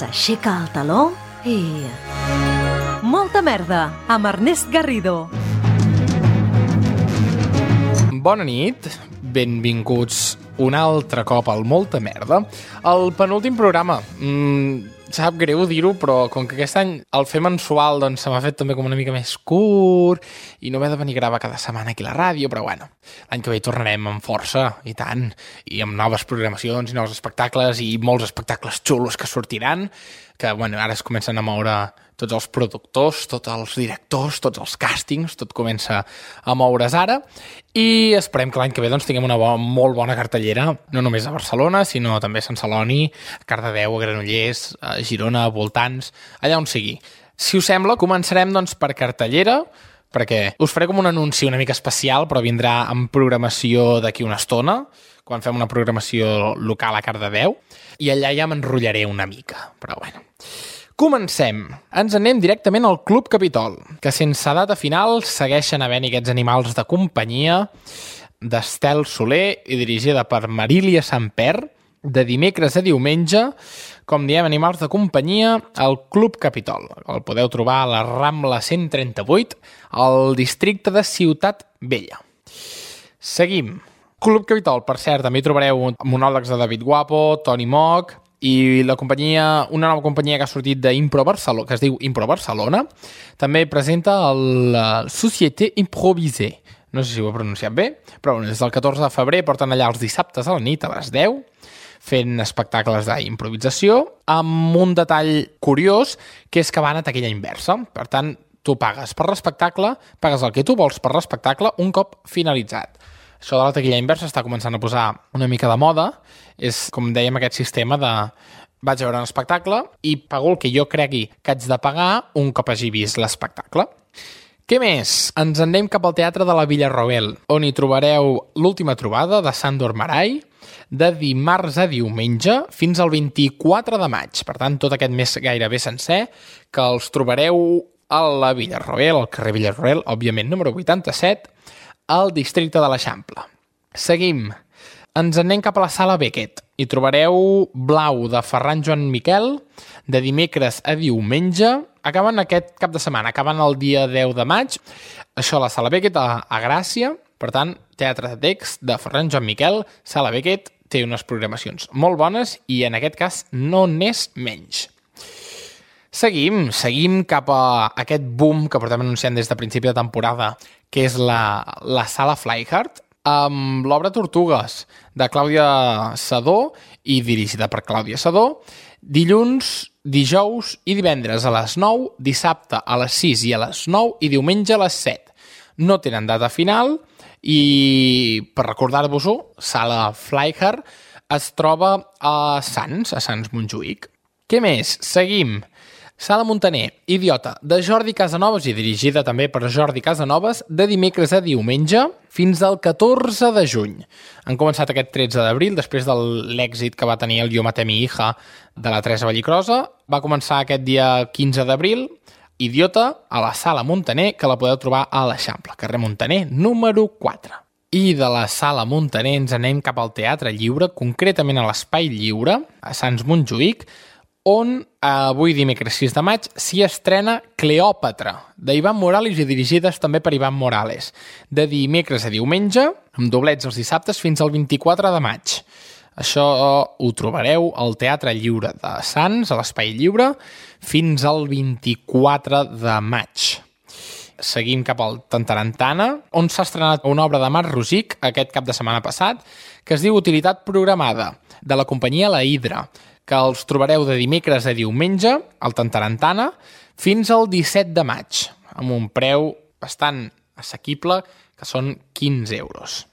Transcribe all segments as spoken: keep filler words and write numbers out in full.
s'aixeca el taló i... Molta merda, amb Ernest Garrido. Bona nit, benvinguts un altre cop al Molta Merda. El penúltim programa. Mm, sap greu dir-ho, però com que aquest any el fer mensual doncs, se m'ha fet també com una mica més curt i no m'he de venir a gravar cada setmana aquí a la ràdio, però bueno, l'any que ve tornarem amb força, i tant, i amb noves programacions i nous espectacles i molts espectacles xulos que sortiran, que bueno, ara es comencen a moure tots els productors, tots els directors, tots els càstings, tot comença a moure's ara, i esperem que l'any que ve doncs, tinguem una bo molt bona cartellera, no només a Barcelona, sinó també a Sant Celoni, a Cardedeu, a Granollers, a Girona, a voltants, allà on sigui. Si us sembla, començarem doncs, per cartellera, perquè us faré com un anunci una mica especial, però vindrà en programació d'aquí una estona, quan fem una programació local a Cardedeu, i allà ja m'enrotllaré una mica, però bueno. Comencem. Ens anem directament al Club Capitol, que sense data final segueixen havent-hi aquests animals de companyia d'Estel Soler i dirigida per Marília Samper, de dimecres a diumenge, com diem, animals de companyia al Club Capitol. El podeu trobar a la Rambla cent trenta-vuit, al districte de Ciutat Vella. Seguim. Club Capitol, per cert, també hi trobareu monòlegs de David Guapo, Toni Moc, i la companyia, una nova companyia que ha sortit d'Impro Barcelona, que es diu Impro Barcelona, també presenta el Société Improvisée. No sé si ho he pronunciat bé, però des del catorze de febrer porten allà els dissabtes a la nit, a les deu, fent espectacles d'improvisació, amb un detall curiós, que és que van a taquilla inversa. Per tant, tu pagues per l'espectacle, pagues el que tu vols per l'espectacle un cop finalitzat. Això de la taquilla inversa està començant a posar una mica de moda. És, com dèiem, aquest sistema de vaig a veure un espectacle i pago el que jo cregui que haig de pagar un cop hagi vist l'espectacle. Què més? Ens en anem cap al Teatre de la Villarroel, on hi trobareu l'última trobada de Sándor Márai, de dimarts a diumenge fins al vint-i-quatre de maig. Per tant, tot aquest mes gairebé sencer, que els trobareu a la Villarroel, al carrer Villarroel, òbviament número vuitanta-set, al districte de l'Eixample. Seguim. Ens anem cap a la Sala Beckett. Hi trobareu Blau, de Ferran Joan Miquel, de dimecres a diumenge. Acaben aquest cap de setmana, acaben el dia deu de maig. Això a la Sala Beckett, a, a Gràcia. Per tant, teatre de text de Ferran Joan Miquel, Sala Beckett, té unes programacions molt bones i en aquest cas no n'és menys. Seguim, seguim cap a aquest boom que portem anunciant des de principi de temporada, que és la, la Sala Flyhard, amb l'obra Tortugues, de Clàudia Sedó i dirigida per Clàudia Sedó, dilluns, dijous i divendres a les nou, dissabte a les sis i a les nou i diumenge a les set. No tenen data final i, per recordar-vos-ho, Sala Flyhard es troba a Sants, a Sants Montjuïc. Què més? Seguim. Sala Muntaner, Idiota, de Jordi Casanovas i dirigida també per Jordi Casanovas, de dimecres a diumenge fins al catorze de juny. Han començat aquest tretze d'abril, després de l'èxit que va tenir el Yo maté mi hija de la Teresa Vallicrosa. Va començar aquest dia quinze d'abril, Idiota, a la Sala Muntaner, que la podeu trobar a l'Eixample, carrer Muntaner, número quatre. I de la Sala Muntaner ens anem cap al Teatre Lliure, concretament a l'Espai Lliure, a Sants Montjuïc, on avui dimecres sis de maig s'hi estrena Cleòpatra, d'Ivan Morales i dirigides també per Ivan Morales, de dimecres a diumenge, amb doblets els dissabtes fins al vint-i-quatre de maig. Això ho trobareu al Teatre Lliure de Sants, a l'Espai Lliure, fins al vint-i-quatre de maig. Seguim cap al Tantarantana, on s'ha estrenat una obra de Marc Rosic aquest cap de setmana passat, que es diu Utilitat Programada, de la companyia La Hidra, que els trobareu de dimecres a diumenge al Tantarantana fins al disset de maig, amb un preu bastant assequible, que són quinze euros.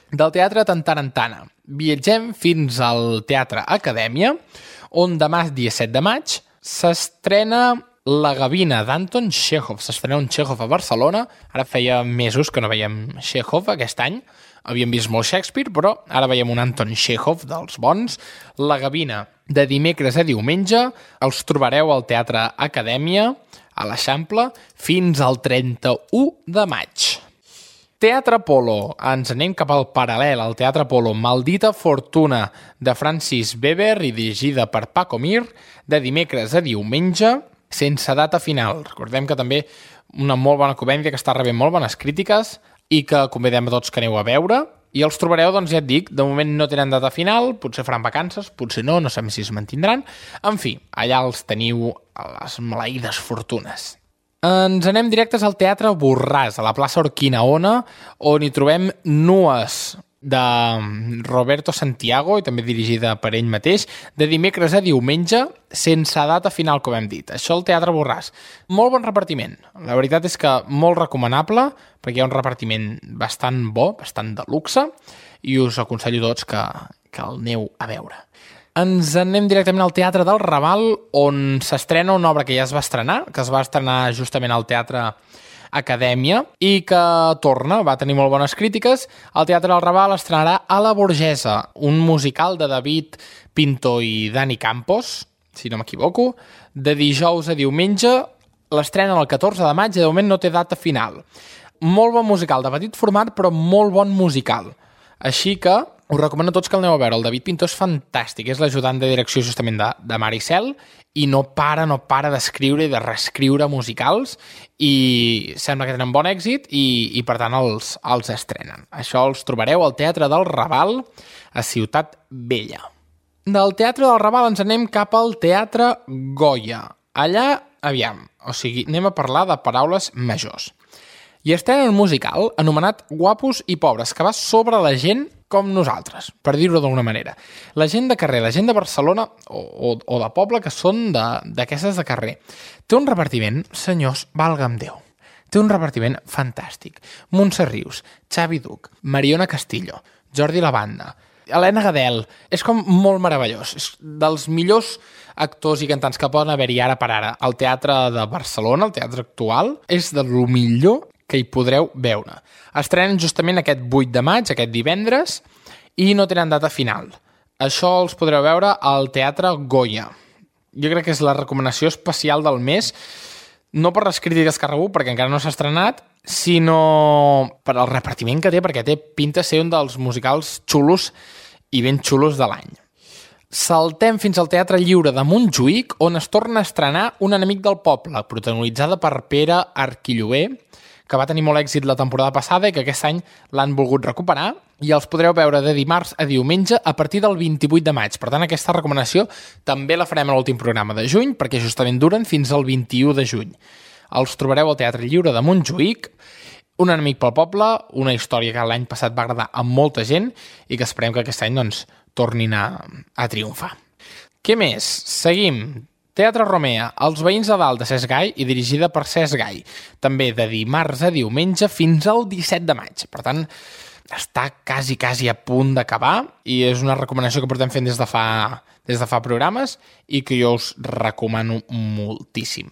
Del Teatre Tantarantana viatgem fins al Teatre Acadèmia, on demà, dia set de maig, s'estrena La Gavina d'Anton Txékhov. S'estrena un Txékhov a Barcelona. Ara feia mesos que no veiem Txékhov aquest any. Havíem vist molt Shakespeare, però ara veiem un Anton Txékhov dels bons. La Gavina, de dimecres a diumenge, els trobareu al Teatre Acadèmia, a l'Eixample, fins al trenta-u de maig. Teatre Apolo, ens anem cap al paral·lel, al Teatre Apolo, Maldita Fortuna, de Francis Weber i dirigida per Paco Mir, de dimecres a diumenge, sense data final. Recordem que també una molt bona comèdia que està rebent molt bones crítiques i que convidem a tots que aneu a veure. I els trobareu, doncs ja et dic, de moment no tenen data final, potser faran vacances, potser no, no sabem si es mantindran. En fi, allà els teniu a les maleïdes fortunes. Ens anem directes al Teatre Borràs, a la plaça Urquinaona, on hi trobem Nues, de Roberto Santiago, i també dirigida per ell mateix, de dimecres a diumenge, sense data final, com hem dit. Això al Teatre Borràs. Molt bon repartiment. La veritat és que molt recomanable, perquè hi ha un repartiment bastant bo, bastant de luxe, i us aconsello tots que, que el aneu a veure. Ens anem directament al Teatre del Raval, on s'estrena una obra que ja es va estrenar, que es va estrenar justament al Teatre Acadèmia i que torna, va tenir molt bones crítiques. El Teatre del Raval estrenarà A la Burgesa, un musical de David Pinto i Dani Campos, si no m'equivoco, de dijous a diumenge. L'estrena el catorze de maig i de moment no té data final. Molt bon musical, de petit format, però molt bon musical. Així que us recomano a tots que el aneu a veure. El David Pinto és fantàstic, és l'ajudant de direcció justament de, de Maricel i no para, no para d'escriure i de reescriure musicals i sembla que tenen bon èxit i, i per tant els, els estrenen. Això els trobareu al Teatre del Raval a Ciutat Vella. Del Teatre del Raval ens anem cap al Teatre Goya. Allà, aviam, o sigui, anem a parlar de paraules majors. I estrenen un musical anomenat Guapos i Pobres, que va sobre la gent com nosaltres, per dir-ho d'alguna manera. La gent de carrer, la gent de Barcelona o, o, o de poble que són d'aquestes de, de carrer. Té un repartiment, senyors, valga'm Déu. Té un repartiment fantàstic. Montse Rius, Xavi Duch, Mariona Castillo, Jordi Lavanda, Helena Gadel. És com molt meravellós. És dels millors actors i cantants que poden haver-hi ara per ara. El teatre de Barcelona, el teatre actual, és de lo millor que hi podreu veure. Estrenen justament aquest vuit de maig, aquest divendres, i no tenen data final. Això els podreu veure al Teatre Goya. Jo crec que és la recomanació especial del mes, no per les crítiques que ha rebut, perquè encara no s'ha estrenat, sinó per al repartiment que té, perquè té pinta de ser un dels musicals xulos i ben xulos de l'any. Saltem fins al Teatre Lliure de Montjuïc, on es torna a estrenar Un enemic del poble, protagonitzada per Pere Arquilloé, que va tenir molt èxit la temporada passada i que aquest any l'han volgut recuperar, i els podreu veure de dimarts a diumenge a partir del vint-i-vuit de maig. Per tant, aquesta recomanació també la farem a l'últim programa de juny, perquè justament duren fins al vint-i-u de juny. Els trobareu al Teatre Lliure de Montjuïc, Un enemic pel poble, una història que l'any passat va agradar a molta gent i que esperem que aquest any doncs, tornin a, a triomfar. Què més? Seguim. Teatre Romea, Els veïns de dalt de Cesc Gai i dirigida per Cesc Gai. També de dimarts a diumenge fins al disset de maig. Per tant, està quasi, quasi a punt d'acabar i és una recomanació que portem fent des de fa, des de fa programes i que jo us recomano moltíssim.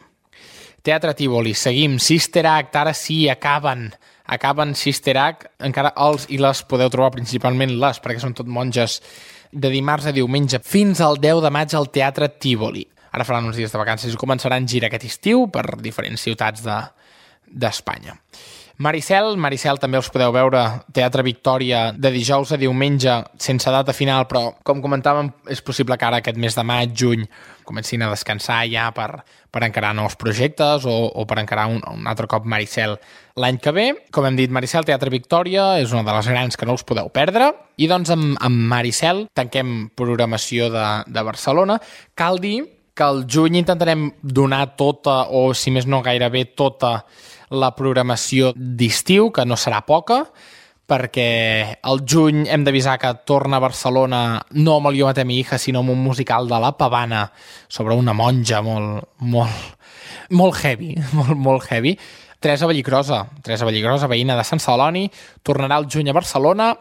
Teatre Tívoli, seguim. Sister Act, ara sí, acaben. Acaben Sister Act. Encara els i les podeu trobar, principalment les, perquè són tot monges, de dimarts a diumenge fins al deu de maig al Teatre Tívoli. Ara faran uns dies de vacances i començaran gira aquest estiu per diferents ciutats de, d'Espanya. Maricel, Maricel també els podeu veure Teatre Victòria de dijous a diumenge sense data final, però com comentàvem és possible que ara aquest mes de maig, juny comencin a descansar ja per, per encarar nous projectes o, o per encarar un, un altre cop Maricel l'any que ve. Com hem dit, Maricel, Teatre Victòria és una de les grans que no us podeu perdre i doncs amb, amb Maricel tanquem programació de, de Barcelona. Cal dir que al juny intentarem donar tota, o si més no gairebé tota, la programació d'estiu, que no serà poca, perquè al juny hem d'avisar que torna a Barcelona no amb el Jo maté mi hija, sinó amb un musical de La Pavana sobre una monja molt, molt, molt heavy, molt, molt heavy. Teresa Vallicrosa, Teresa Vallicrosa, veïna de Sant Celoni, tornarà al juny a Barcelona.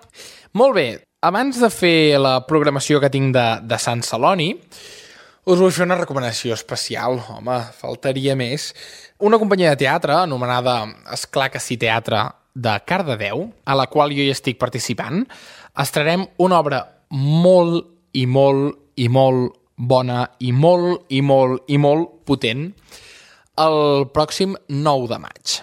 Molt bé, abans de fer la programació que tinc de, de Sant Celoni, us vull fer una recomanació especial, home, faltaria més. Una companyia de teatre anomenada Esclar que sí Teatre de Cardedeu, a la qual jo hi estic participant, estrenarem una obra molt i molt i molt bona i molt i molt i molt potent el pròxim nou de maig.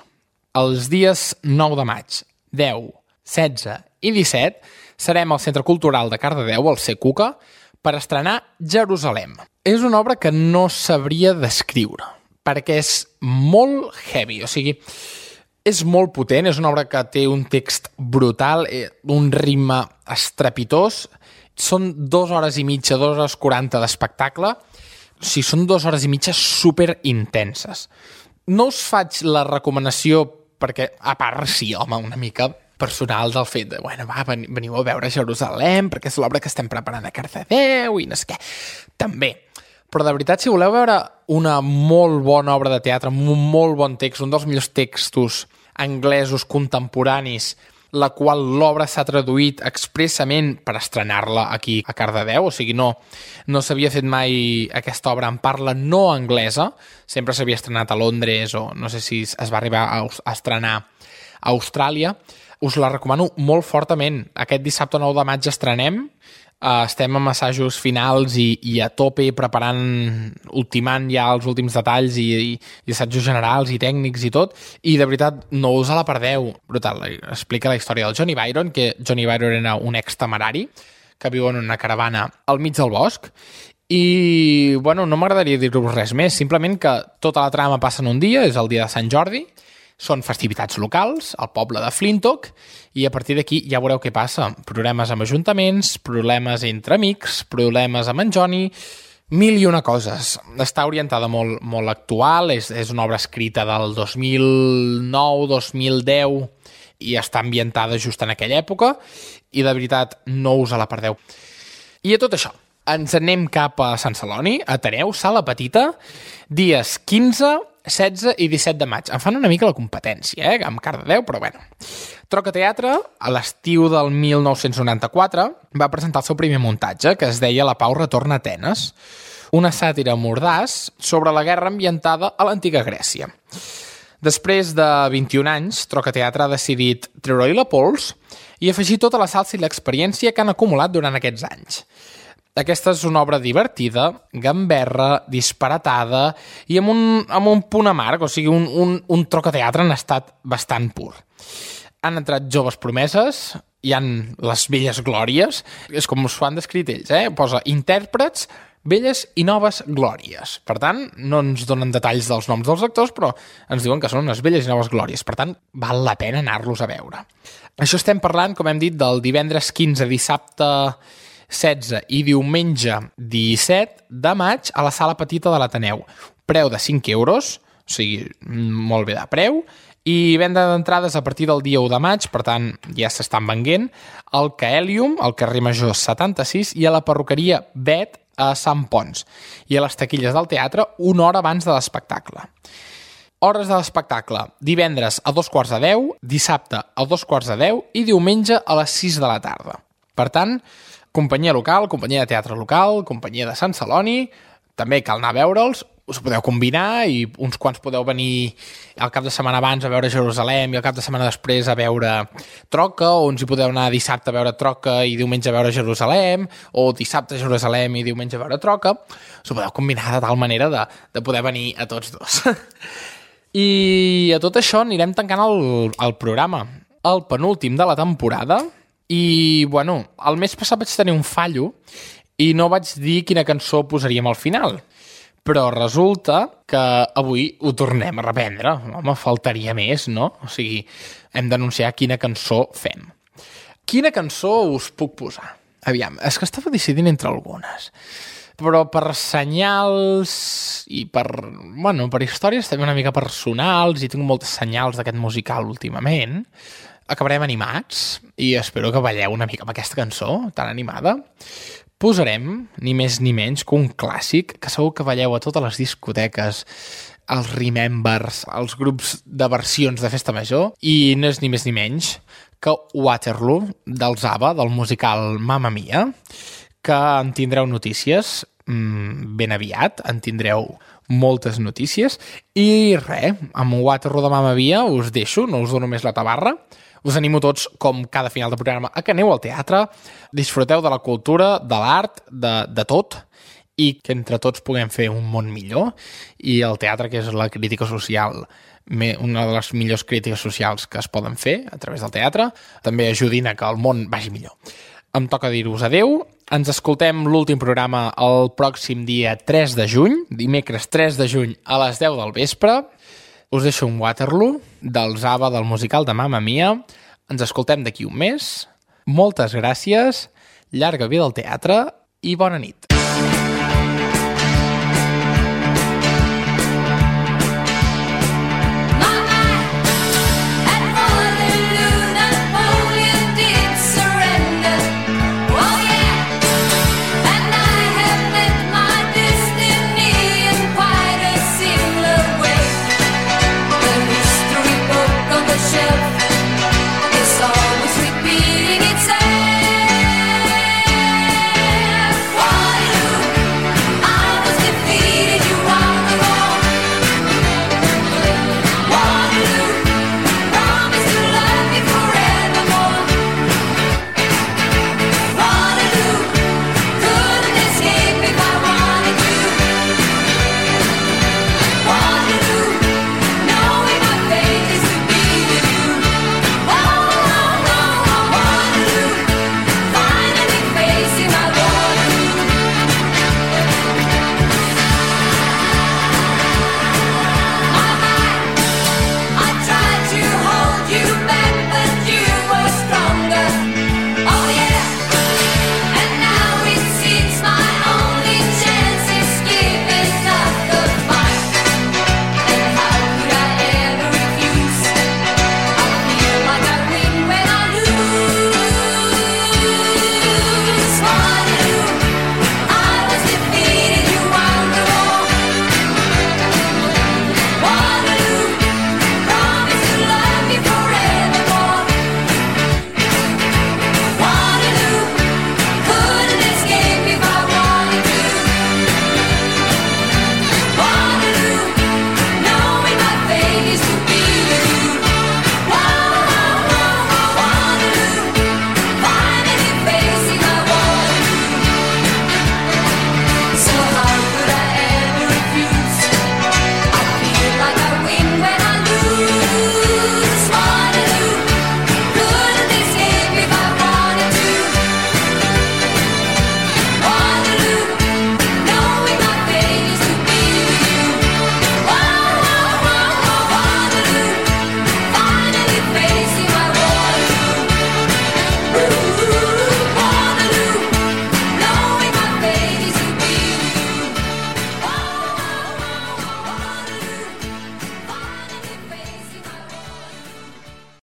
Els dies nou de maig, deu, setze i disset serem al Centre Cultural de Cardedeu, al C. Cuca, per estrenar Jerusalem. És una obra que no sabria descriure, perquè és molt heavy, o sigui, és molt potent, és una obra que té un text brutal, un ritme estrepitós, són dues hores i mitja, dues hores quaranta d'espectacle, o sigui, són dues hores i mitja super intenses. No us faig la recomanació perquè, a part, sí, home, una mica personal del fet de, bueno, va, veniu a veure Jerusalem, perquè és l'obra que estem preparant a Cardedeu i no sé què. També. Però de veritat, si voleu veure una molt bona obra de teatre, un molt bon text, un dels millors textos anglesos contemporanis, la qual l'obra s'ha traduït expressament per estrenar-la aquí a Cardedeu, o sigui, no, no s'havia fet mai aquesta obra en parla no anglesa, sempre s'havia estrenat a Londres o no sé si es va arribar a, a estrenar a Austràlia. Us la recomano molt fortament. Aquest dissabte nou de maig estrenem, Uh, estem amb assajos finals i, i a tope preparant, ultimant ja els últims detalls i, i, i assajos generals i tècnics i tot, i de veritat no us la perdeu. Brutal, explica la història del Johnny Byron, que Johnny Byron era un ex-temerari que viu en una caravana al mig del bosc, i bueno, no m'agradaria dir-vos res més, simplement que tota la trama passa en un dia, és el dia de Sant Jordi, són festivitats locals, al poble de Flintock, i a partir d'aquí ja veureu què passa. Problemes amb ajuntaments, problemes entre amics, problemes amb en Johnny, mil i una coses. Està orientada molt, molt actual, és, és una obra escrita del dos mil nou dos mil deu i està ambientada just en aquella època, i de veritat no us la perdeu. I a tot això, ens anem cap a Sant Celoni, Ateneu, Sala Petita, dies quinze, setze i disset de maig. Em fan una mica la competència, eh? Amb Cardedeu, però bueno. Troca Teatre, a l'estiu del mil nou-cents noranta-quatre, va presentar el seu primer muntatge, que es deia La Pau retorna a Atenes, una sàtira mordaç sobre la guerra ambientada a l'antiga Grècia. Després de vint-i-un anys, Troca Teatre ha decidit treure-hi la pols i afegir tota la salsa i l'experiència que han acumulat durant aquests anys. Aquesta és una obra divertida, gamberra, disparatada i amb un, amb un punt amarg, o sigui, un, un, un trocateatre en estat bastant pur. Han entrat joves promeses, hi han les velles glòries, és com us ho han descrit ells, eh? Posa intèrprets, velles i noves glòries. Per tant, no ens donen detalls dels noms dels actors, però ens diuen que són unes velles i noves glòries. Per tant, val la pena anar-los a veure. Això estem parlant, com hem dit, del divendres quinze, dissabte setze i diumenge disset de maig a la Sala Petita de l'Ateneu. Preu de cinc euros, o sigui, molt bé de preu, i venda d'entrades a partir del dia u de maig, per tant, ja s'estan venguent, al Caelium, al carrer Major setanta-sis, i a la perruqueria Bet a Sant Pons, i a les taquilles del teatre una hora abans de l'espectacle. Hores de l'espectacle, divendres a dos quarts de deu, dissabte a dos quarts de deu i diumenge a les sis de la tarda. Per tant, companyia local, companyia de teatre local, companyia de Sant Celoni, també cal anar a veure'ls, us podeu combinar i uns quants podeu venir al cap de setmana abans a veure Jerusalem i al cap de setmana després a veure Troca, o uns hi podeu anar dissabte a veure Troca i diumenge a veure Jerusalem, o dissabte a Jerusalem i diumenge a veure Troca. Us ho podeu combinar de tal manera de, de poder venir a tots dos. I a tot això anirem tancant el, el programa. El penúltim de la temporada. I, bueno, el mes passat vaig tenir un fallo i no vaig dir quina cançó posaríem al final. Però resulta que avui ho tornem a reprendre. Home, faltaria més, no? O sigui, hem d'anunciar quina cançó fem. Quina cançó us puc posar? Aviam, és que estava decidint entre algunes. Però per senyals i per, bueno, per històries també una mica personals, i tinc moltes senyals d'aquest musical últimament, acabarem animats i espero que balleu una mica amb aquesta cançó tan animada. Posarem, ni més ni menys, que un clàssic que segur que balleu a totes les discoteques, els Remembers, els grups de versions de festa major, i no és ni més ni menys que Waterloo, dels ABBA, del musical Mamma Mia, que en tindreu notícies mmm, ben aviat, en tindreu moltes notícies, i res, amb Waterloo de Mamma Mia us deixo, no us dono més la tabarra. Us animo tots, com cada final de programa, a que aneu al teatre, disfruteu de la cultura, de l'art, de, de tot, i que entre tots puguem fer un món millor, i el teatre, que és la crítica social, una de les millors crítiques socials que es poden fer a través del teatre, també ajudin a que el món vagi millor. Em toca dir-vos adeu. Ens escoltem l'últim programa el pròxim dia tres de juny, dimecres tres de juny a les deu del vespre. Us deixo un Waterloo dels ABBA del musical de Mamma Mia. Ens escoltem d'aquí un mes. Moltes gràcies, llarga vida al teatre i bona nit.